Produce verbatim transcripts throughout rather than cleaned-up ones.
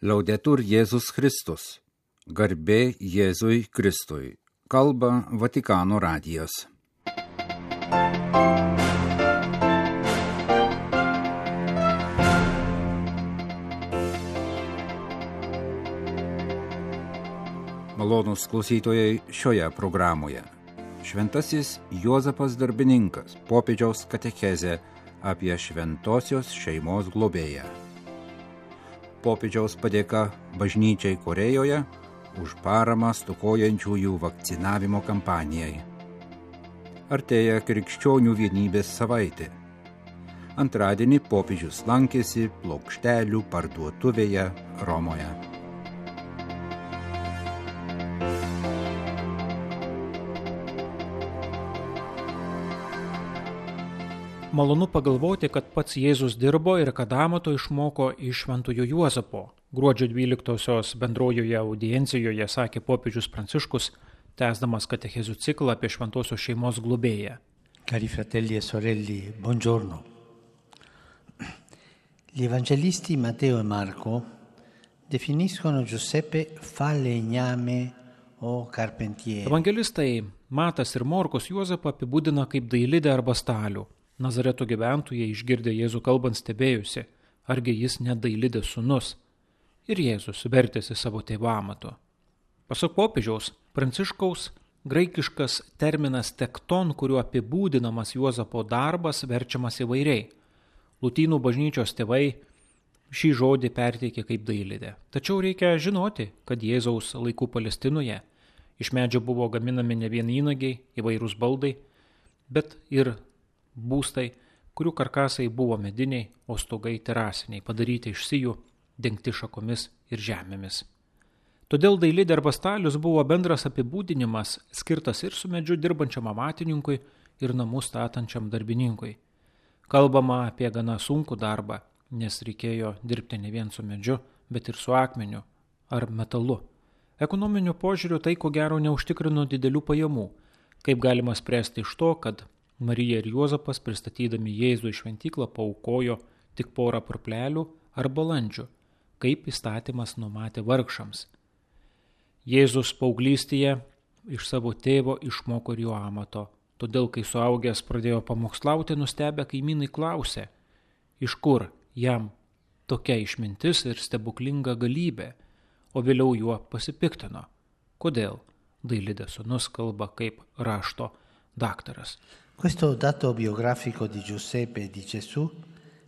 Laudetur Jėzus Kristus. Garbė Jėzui Kristui. Kalba Vatikano radijas. Malonūs klausytojai šioje programoje. Šventasis Juozapas Darbininkas, popiežiaus katechezė apie šventosios šeimos globėją. Popiežiaus padėka bažnyčiai Korejoje už paramą stokojančiųjų vakcinavimo kampanijai. Artėja krikščionių vienybės savaitė. Antradienį popiežius lankėsi plokštelių parduotuvėje Romoje. Malonu pagalvoti, kad pats Jėzus dirbo ir kad amato išmoko iš šventojo Juozapo. Gruodžio dvyliktosios bendrojoje audiencijoje sakė popiežius Pranciškus, tęsdamas katechezių ciklą apie šventosios šeimos globėją. Cari fratelli e sorelle, buongiorno. Gli evangelisti Matteo e Marco definiscono Giuseppe falegname o carpentiere. Evangelistai Matas ir Morkus Juozapą apibūdina kaip dailidę arba stalių. Nazareto gyventojai išgirdę Jėzų kalbant stebėjusi, argi jis ne dailidės sūnus. Ir Jėzus vertėsi savo tėvo amato. Pasak popiežiaus Pranciškaus, graikiškas terminas tekton, kuriuo apibūdinamas Juozapo darbas, verčiamas įvairiai. Lotynų bažnyčios tėvai šį žodį perteikė kaip dailidė. Tačiau reikia žinoti, kad Jėzaus laikų Palestinoje iš medžio buvo gaminami ne vien įnagiai, įvairūs baldai, bet ir būstai, kurių karkasai buvo mediniai, o stogai terasiniai, padaryti iš sijų, dengti šakomis ir žemėmis. Todėl dailidė arba stalius buvo bendras apibūdinimas, skirtas ir su medžiu dirbančiam amatininkui ir namus statančiam darbininkui. Kalbama apie gana sunkų darbą, nes reikėjo dirbti ne vien su medžiu, bet ir su akmeniu ar metalu. Ekonominiu požiūriu tai ko gero neužtikrino didelių pajamų, kaip galima spręsti iš to, kad Marija ir Juozapas, pristatydami Jėzų į šventyklą, paaukojo tik porą purplelių ar balandžių, kaip įstatymas numatė vargšams. Jėzus paauglystėje iš savo tėvo išmoko ir jo amato, todėl kai suaugęs pradėjo pamokslauti, nustebę kaimynai klausė, iš kur jam tokia išmintis ir stebuklinga galybė, o vėliau juo pasipiktino. Kodėl dailidės sūnus kalba kaip rašto daktaras? Questo dato biografico di Giuseppe e di Gesù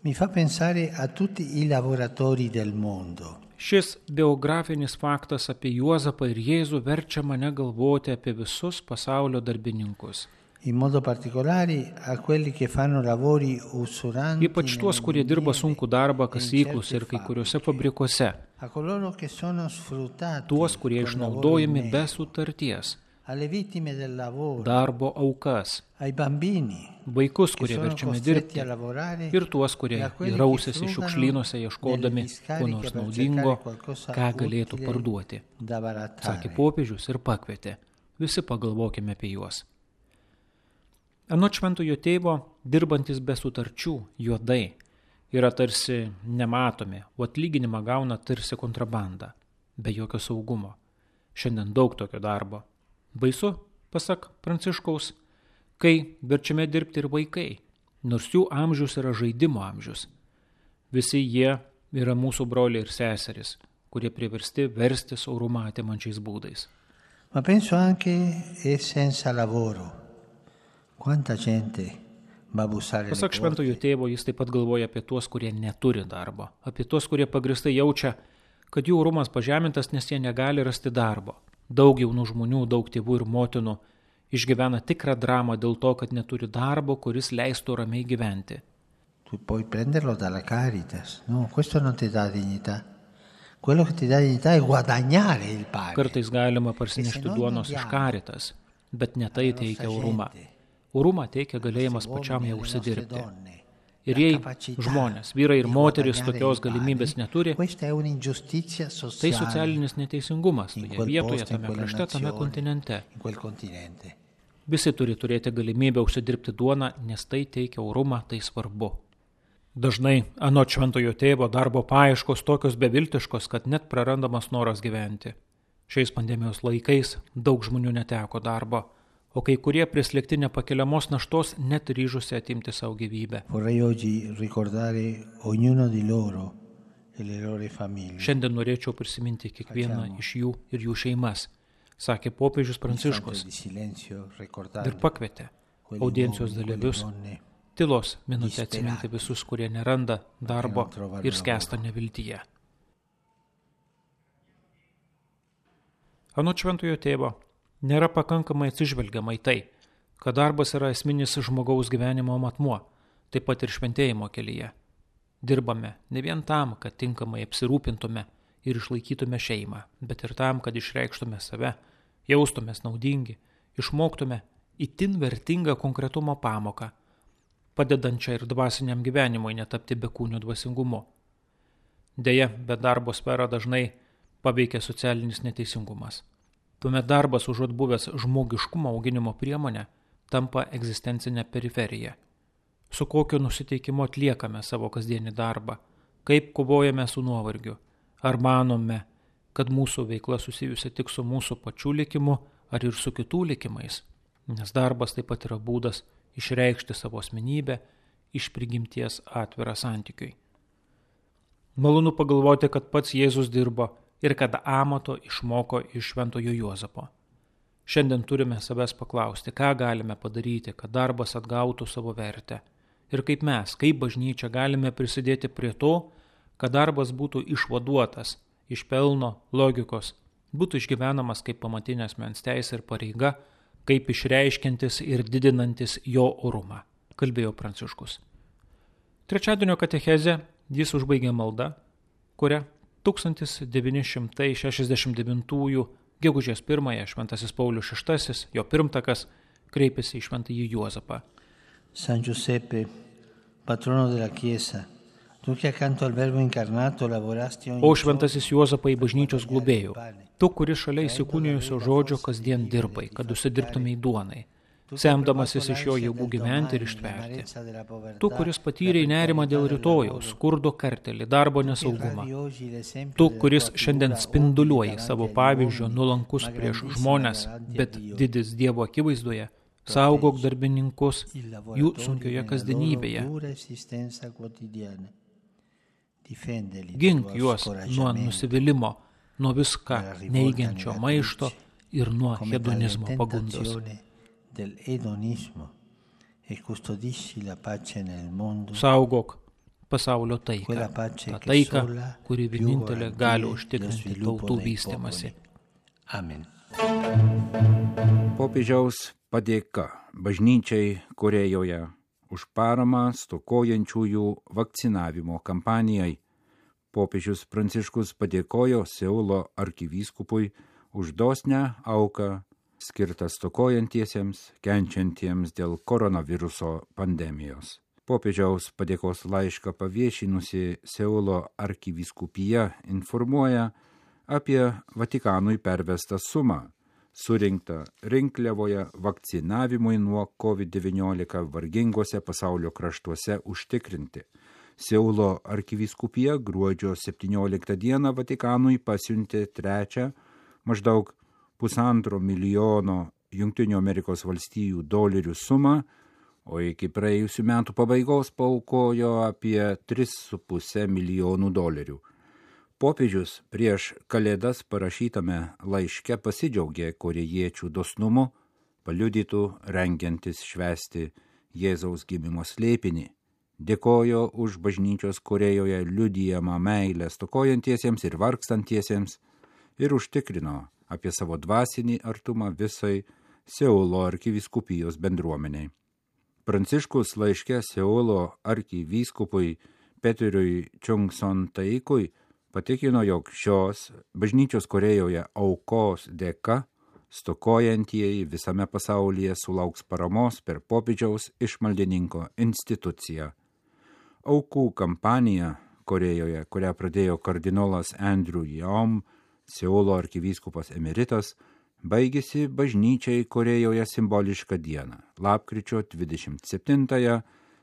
mi fa pensare a tutti i lavoratori del mondo. Šis biografinis faktas apie Juozapą ir Jėzų verčia mane galvoti apie visus pasaulio darbininkus. In modo particolare a quelli che fanno lavori usuranti. Ypač tuos, kurie dirba sunkų darbą kasyklose ir kai kuriuose fabrikuose. A coloro che sono sfruttati. Tuos, kurie išnaudojami be sutarties. Alle vittime del lavoro, darbo aukas, ai bambini, vaikus, kurie verčiami dirbti, ir tuos, kurie rausėsi šiukšlynuose ieškodami ko nors naudingo, ką galėtų parduoti. Sakė popiežius ir pakvietė. Visi pagalvokime apie juos. Anot šventojo tėvo, dirbantis be sutarčių, juodai, yra tarsi nematomi, o atlyginimą gauna tarsi kontrabanda, be jokio saugumo. Šiandien daug tokio darbo. Baisu, pasak Pranciškaus, kai verčiame dirbti ir vaikai, nors jų amžius yra žaidimo amžius. Visi jie yra mūsų broliai ir seserys, kurie priversti verstis orumą atimančiais būdais. Ma penso anche e senza lavoro. Quanta gente va a bussare le porte. Pasak šventojo tėvo, jis taip pat galvoja apie tuos, kurie neturi darbo, apie tuos, kurie pagrįstai jaučia, kad jų orumas pažemintas, nes jie negali rasti darbo. Daug jaunų žmonių, daug tėvų ir motinų išgyvena tikrą dramą dėl to, kad neturi darbo, kuris leistų ramiai gyventi. Tu puoi prenderlo dalla Caritas, no, questo non ti dà dignità. Quello che ti dà dignità è guadagnare il pane. Kartais galima parsinešti duonos iš Caritas, bet ne tai teikia orumą. Orumą teikia galėjimas pačiam ją užsidirbti. Ir jei žmonės, vyrai ir moteris tokios galimybės neturi, tai socialinis neteisingumas toje vietoje, tame krašte, tame kontinente. Visi turi turėti galimybę užsidirbti duoną, nes tai teikia orumą, tai svarbu. Dažnai anot šventojo tėvo darbo paieškos tokios beviltiškos, kad net prarandamas noras gyventi. Šiais pandemijos laikais daug žmonių neteko darbo, o kai kurie prislėgti nepakeliamos naštos net ryžusi atimti savo gyvybę. Šiandien norėčiau prisiminti kiekvieną iš jų ir jų šeimas, sakė popiežius Pranciškus ir pakvietė audiencijos dalyvius tylos minutę atsiminti visus, kurie neranda darbo ir skęsta neviltyje. Anot šventojo tėvo, nėra pakankamai atsižvelgiama į tai, kad darbas yra esminis žmogaus gyvenimo matmuo, taip pat ir šventėjimo kelyje. Dirbame ne vien tam, kad tinkamai apsirūpintume ir išlaikytume šeimą, bet ir tam, kad išreikštume save, jaustumės naudingi, išmoktume itin vertingą konkretumo pamoką, padedančią ir dvasiniam gyvenimui netapti bekūnio dvasingumu. Deja, bet darbo sferą dažnai paveikia socialinis neteisingumas. Tuomet darbas užuot buvęs žmogiškumo auginimo priemonė tampa egzistencinė periferija. Su kokiu nusiteikimu atliekame savo kasdienį darbą, kaip kovojame su nuovargiu, ar manome, kad mūsų veikla susijusi tik su mūsų pačių likimu ar ir su kitų likimais, nes darbas taip pat yra būdas išreikšti savo asmenybę, iš prigimties atvirą santykiui. Malonu pagalvoti, kad pats Jėzus dirbo ir kad amato išmoko iš šventojo Juozapo. Šiandien turime savęs paklausti, ką galime padaryti, kad darbas atgautų savo vertę ir kaip mes, kaip bažnyčia galime prisidėti prie to, kad darbas būtų išvaduotas iš pelno logikos, būtų išgyvenamas kaip pamatinė asmens teisė ir pareiga, kaip išreiškiantis ir didinantis jo orumą, kalbėjo Pranciškus. Trečiadienio katechezę jis užbaigė malda, kurią tūkstantis devyni šimtai šešiasdešimt devintųjų gegužės pirmąją šventasis Paulius šeštasis, jo pirmtakas, kreipėsi į šventąjį Juozapą. San Giuseppe, patrono della Chiesa, tu che accanto al Verbo incarnato lavorasti ogni O šventasis Juozapai bažnyčios globėjų, tu, kuris šalia įsikūnijusio žodžio kasdien dirbai, kad užsidirbtumei duonai, semdamasis iš jo jėgų gyventi ir ištverti. Tu, kuris patyrei nerimą dėl rytojaus, skurdo kartelį, darbo nesaugumą. Tu, kuris šiandien spinduliuoji savo pavyzdžio nuolankus prieš žmones, bet didis Dievo akivaizdoje, saugok darbininkus jų sunkioje kasdienybėje. Gink juos nuo nusivylimimo, nuo viską neigiančio maišto ir nuo hedonizmo pagundos. Saugok pasaulio taiką, tą taiką, kuri vienintelė gali užtikrinti tautų vystymąsi. Amen. Popiežiaus padėka bažnyčiai Korejoje už paramą stokojančiųjų vakcinavimo kampanijai. Popiežius Pranciškus padėkojo Seulo arkivyskupui už dosnią auką skirtą stokojantiesiems, kenčiantiems dėl koronaviruso pandemijos. Popiežiaus padėkos laišką paviešinusi Seulo arkivyskupija informuoja apie Vatikanui pervestą sumą, surinktą rinkliavoje vakcinavimui nuo covid devyniolika vargingose pasaulio kraštuose užtikrinti. Seulo arkivyskupija gruodžio septynioliktą dieną Vatikanui pasiuntė trečią maždaug pusantro milijono Jungtinių Amerikos valstijų dolerių sumą, o iki praėjusių metų pabaigos paaukojo apie tris su puse milijonų dolerių. Popiežius prieš Kalėdas parašytame laiške pasidžiaugė korėjiečių dosnumu, paliudytų rengiantis švęsti Jėzaus gimimo slėpinį. Dėkojo už bažnyčios Korejoje liudijamą meilę stokojantiesiems ir vargstantiesiems ir užtikrino apie savo dvasinį artumą visai Seulo arkivyskupijos bendruomeniai. Pranciškus laiške Seulo arkivyskupui Peteriui Chung-son Taikui patikino, jog šios bažnyčios Korejoje aukos dėka stokojantieji visame pasaulyje sulauks paramos per popiežiaus išmaldininko instituciją. Aukų kampanija Korejoje, kurią pradėjo kardinolas Andrew Yom, Seulo arkivyskupas emeritas, baigėsi bažnyčiai Korejoje simbolišką dieną, lapkričio dvidešimt septintąją,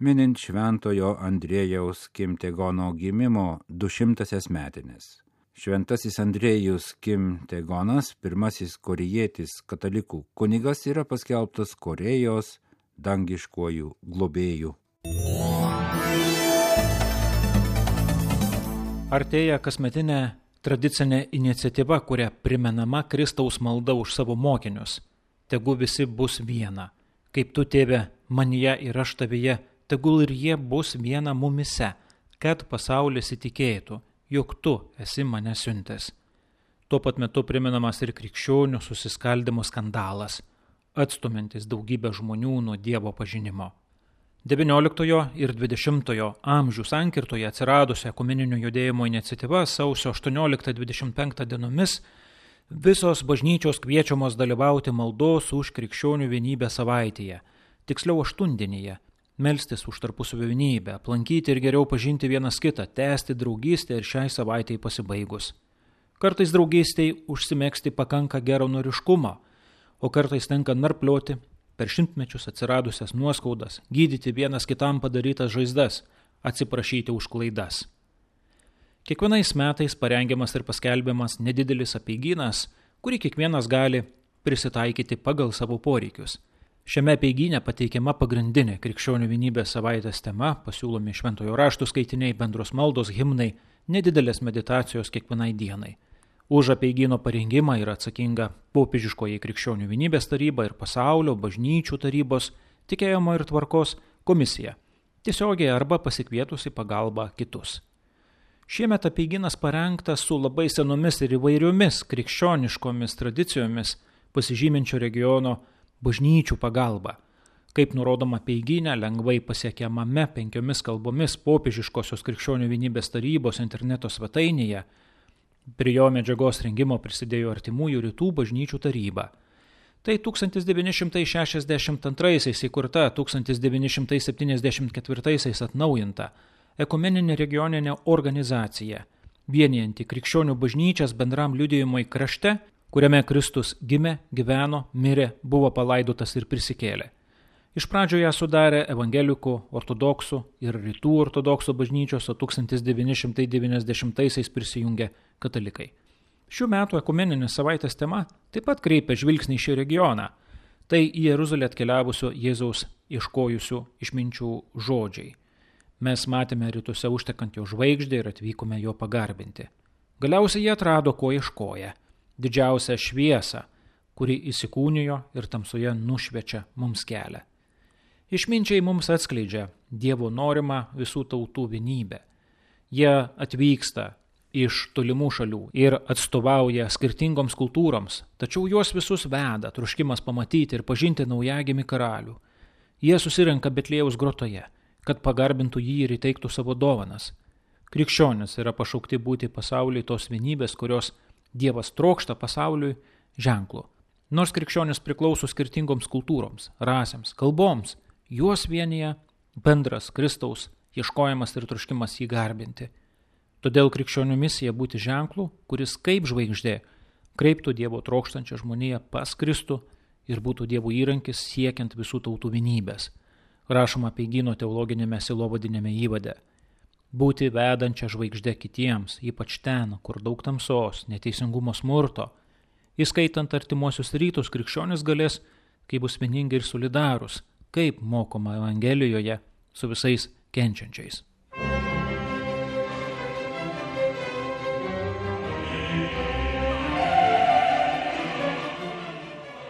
minint šventojo Andriejaus Kimtegono gimimo dušimtasias metinės. Šventasis Andriejus Kimtegonas, pirmasis korėjietis katalikų kunigas, yra paskelbtas Korėjos dangiškuoju globėju. Artėja kasmetinė tradicinė iniciatyva, kuria primenama Kristaus malda už savo mokinius. Tegu visi bus viena. Kaip tu, tėve, manyje ir aš tavyje, tegul ir jie bus viena mumise, kad pasaulis įtikėtų, jog tu esi mane siuntęs. Tuo pat metu primenamas ir krikščionių susiskaldimo skandalas, atstumiantis daugybę žmonių nuo Dievo pažinimo. devynioliktojo ir dvidešimtojo amžių sankirtoje atsiradusi ekumeninio judėjimo iniciatyva sausio aštuonioliktą dvidešimt penktą dienomis visos bažnyčios kviečiamos dalyvauti maldos už krikščionių vienybę savaitėje, tiksliau aštuondienyje, melstis už tarpusavio vienybę, aplankyti ir geriau pažinti vienas kitą, tęsti draugystę ir šiai savaitei pasibaigus. Kartais draugystei užsimegzti pakanka geranoriškumo, o kartais tenka narplioti per šimtmečius atsiradusias nuoskaudas, gydyti vienas kitam padarytas žaizdas, atsiprašyti už klaidas. Kiekvienais metais parengiamas ir paskelbiamas nedidelis apeigynas, kurį kiekvienas gali prisitaikyti pagal savo poreikius. Šiame apeigyne pateikiama pagrindinė krikščionių vienybės savaitės tema, pasiūlomi šventojo raštų skaitiniai, bendros maldos, himnai, nedidelės meditacijos kiekvienai dienai. Už apeigyno parengimą yra atsakinga popiežiškoji krikščionių vienybės taryba ir pasaulio bažnyčių tarybos tikėjimo ir tvarkos komisija, tiesiogiai arba pasikvietusi pagalbą kitus. Šiemet apeigynas parengtas su labai senomis ir įvairiomis krikščioniškomis tradicijomis pasižyminčio regiono bažnyčių pagalba. Kaip nurodoma apeigyne, lengvai pasiekiamame penkiomis kalbomis popiežiškosios krikščionių vienybės tarybos interneto svetainėje, prie jo medžiagos rengimo prisidėjo Artimųjų rytų bažnyčių taryba. Tai tūkstantis devyni šimtai šešiasdešimt antraisiais įkurta, tūkstantis devyni šimtai septyniasdešimt ketvirtaisiais atnaujinta ekumeninė regioninė organizacija, vienijanti krikščionių bažnyčias bendram liudijimui krašte, kuriame Kristus gimė, gyveno, mirė, buvo palaidotas ir prisikėlė. Iš pradžio ją sudarė evangelikų, ortodoksų ir rytų ortodoksų bažnyčios, o tūkstantis devyni šimtai devyniasdešimtaisiais prisijungė katalikai. Šių metų ekumeninės savaitės tema taip pat kreipia žvilgsnį į šį regioną. Tai į Jeruzalę atkeliavusio Jėzaus ieškojusių išminčių žodžiai. Mes matėme rytuose užtekant jo žvaigždę ir atvykome jo pagarbinti. Galiausiai jie atrado, ko ieškoja. Didžiausią šviesą, kuri įsikūnijo ir tamsoje nušviečia mums kelią. Išminčiai mums atskleidžia Dievo norimą visų tautų vienybę. Jie atvyksta iš tolimų šalių ir atstovauja skirtingoms kultūroms, tačiau juos visus veda troškimas pamatyti ir pažinti naujagimį karalių. Jie susirenka Betliejaus grotoje, kad pagarbintų jį ir įteiktų savo dovanas. Krikščionys yra pašaukti būti pasauliui tos vienybės, kurios Dievas trokšta pasauliui ženklu. Nors krikščionys priklauso skirtingoms kultūroms, rasėms, kalboms, juos vienyje bendras Kristaus ieškojimas ir troškimas jį garbinti. Todėl krikščionių misija būti ženklu, kuris kaip žvaigždė kreiptų Dievo trokštančią žmoniją pas Kristų ir būtų Dievo įrankis siekiant visų tautų vienybės. Rašoma apeigyno teologinėme sielovadinėme įvade. Būti vedančią žvaigždę kitiems, ypač ten, kur daug tamsos, neteisingumo, smurto, įskaitant artimuosius rytus, krikščionis galės, kai bus vieningi ir solidarūs, kaip mokoma Evangelijoje su visais kenčiančiais.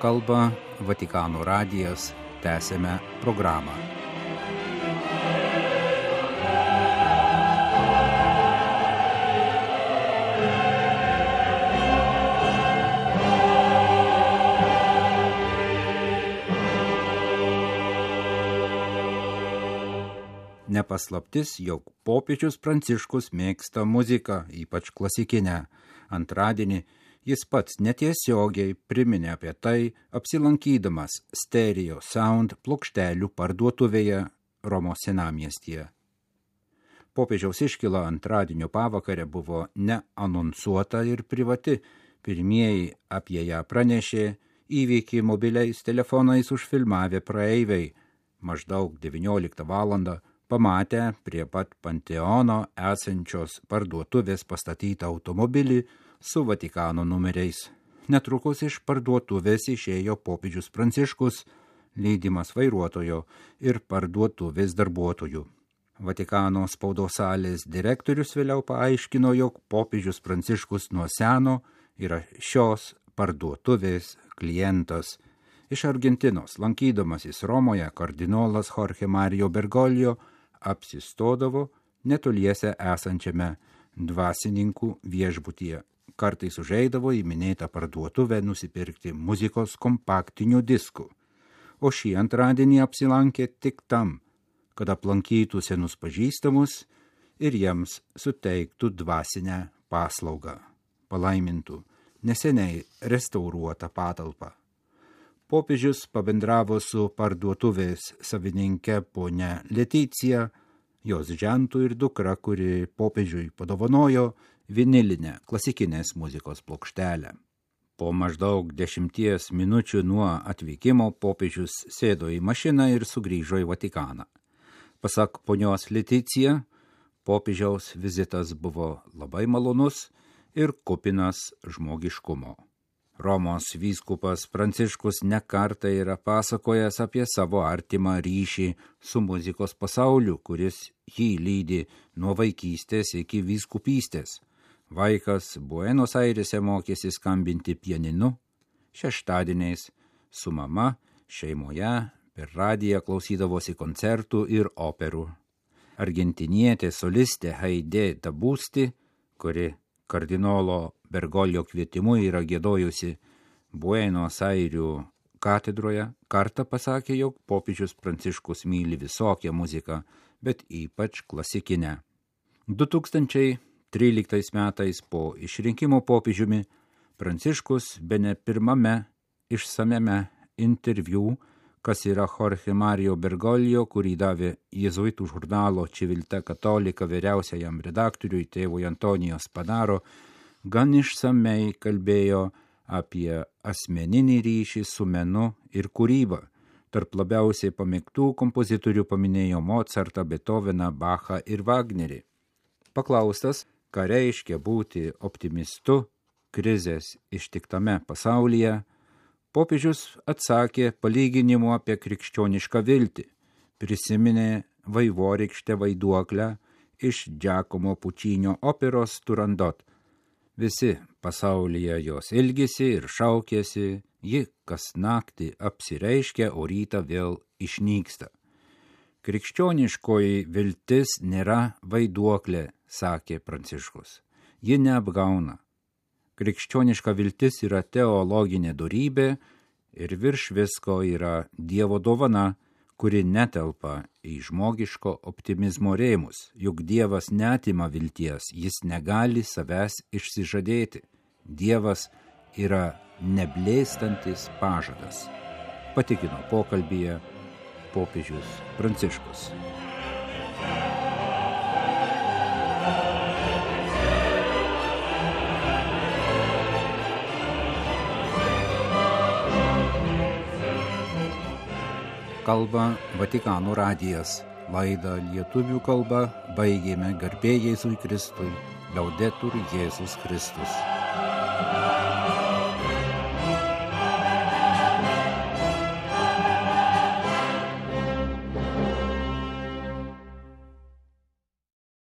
Kalba Vatikano radijas, tęsėme programą. Nepaslaptis, jog popiežius Pranciškus mėgsta muziką, ypač klasikinę. Antradienį jis pats netiesiogiai priminė apie tai, apsilankydamas Stereo Sound plokštelių parduotuvėje Romos senamiestyje. Popiežiaus iškyla antradienio pavakarę buvo neanonsuota ir privati. Pirmieji apie ją pranešė įvykį mobiliais telefonais užfilmavę praeiviai, Maždaug devynioliktą valandą pamatę prie pat Panteono esančios parduotuvės pastatytą automobilį su Vatikano numeriais. Netrukus iš parduotuvės išėjo popiežius Pranciškus, lydimas vairuotojo ir parduotuvės darbuotojų. Vatikano spaudos salės direktorius vėliau paaiškino, jog popiežius Pranciškus nuo seno yra šios parduotuvės klientas. Iš Argentinos, lankydamasis Romoje, kardinolas Jorge Mario Bergoglio apsistodavo netoliese esančiame dvasininkų viešbutyje. Kartais užeidavo į minėtą parduotuvę nusipirkti muzikos kompaktinių diskų, o šį antradienį apsilankė tik tam, kad aplankytų senus pažįstamus ir jiems suteiktų dvasinę paslaugą, palaimintų neseniai restauruotą patalpą. Popiežius pabendravo su parduotuvės savininke ponia Leticija, jos žentu ir dukra, kuri popiežiui padovanojo vinilinę klasikinės muzikos plokštelę. Po maždaug dešimties minučių nuo atvykimo popiežius sėdo į mašiną ir sugrįžo į Vatikaną. Pasak ponios Leticija, popiežiaus vizitas buvo labai malonus ir kupinas žmogiškumo. Romos vyskupas Pranciškus nekartą yra pasakojęs apie savo artimą ryšį su muzikos pasauliu, kuris jį lydi nuo vaikystės iki vyskupystės. Vaikas Buenos Airėse mokėsi skambinti pianinu, šeštadieniais su mama šeimoje per radiją klausydavosi koncertų ir operų. Argentinietė solistė Haidė Dabusti, kuri kardinolo Bergoglio kvietimu yra giedojusi Buenos Airių katedroje, kartą pasakė, jog popiežius Pranciškus myli visokią muziką, bet ypač klasikinę. du tūkstančiai tryliktais metais po išrinkimo popiežiumi Pranciškus bene pirmame išsamiame interviu, kas yra Jorge Mario Bergoglio, kurį davė jėzuitų žurnalo Civiltà Cattolica vyriausiajam redaktoriui tėvui Antonijo Spadaro, gan išsamei kalbėjo apie asmeninį ryšį su menu ir kūrybą. Tarp labiausiai pamėgtų kompozitorių paminėjo Mozartą, Beethoveną, Bachą ir Wagnerį. Paklaustas, ką reiškia būti optimistu krizės ištiktame pasaulyje, popiežius atsakė palyginimu apie krikščionišką viltį, prisiminė vaivorykštę Vaiduoklę iš Giacomo Puccino operos Turandot. Visi pasaulyje jos ilgisi ir šaukėsi, ji kas naktį apsireiškia, o rytą vėl išnyksta. Krikščioniškoji viltis nėra vaiduoklė, sakė Pranciškus. Ji neapgauna. Krikščioniška viltis yra teologinė dorybė ir virš visko yra Dievo dovana, kuri netelpa į žmogiško optimizmo rėmus, juk Dievas neatima vilties, jis negali savęs išsižadėti. Dievas yra neblėstantis pažadas, patikino pokalbyje popiežius Pranciškus. Kalba Vatikano radijas. Laidą lietuvių kalba baigėme garbė Jėzui Kristui. Laudetur Jėzus Kristus.